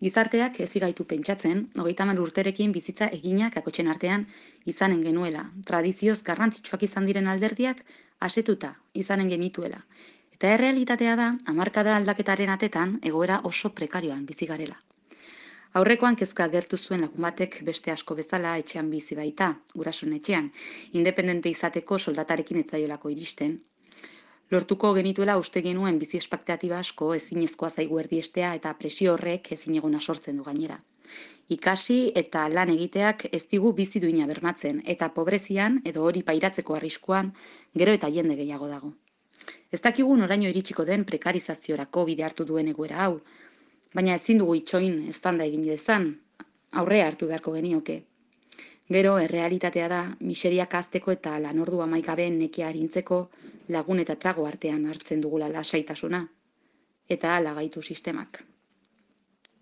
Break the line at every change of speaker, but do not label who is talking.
Gizarteak ez gaitu pentsatzen, 30 urterekin bizitza eginak akotxen artean izanen genuela. Tradizioz garrantzitsuak izan diren alderdiak asetuta izanen genituela. Eta errealitatea da, hamarkada aldaketaren atetan egoera oso prekarioan bizi garela. Aurrekoan kezka agertu zuen lagun batek beste asko bezala etxean bizi baita, gurasoen etxean, independente izateko soldatarekin etzaiolako iristen. Lortuko genituela uste genuen bizi espektatiba asko ezinezkoa zaigu erdiestea eta presio horrek ezinegona sortzen du gainera. Ikasi eta lan egiteak ez digu bizi duina bermatzen eta pobrezian edo hori pairatzeko arriskuan gero eta jende gehiago dago. Ez dakigu noraino iritsiko den prekarizaziorako bide hartu duen egoera hau, baina ezin dugu itxoin eztanda egin dezan, aurrea hartu beharko genioke. Gero, errealitatea da, miseriak hazteko eta lanordu amaikabe nekia arintzeko lagun eta trago artean hartzen dugula lasaitasuna. Eta hala gaitu sistemak.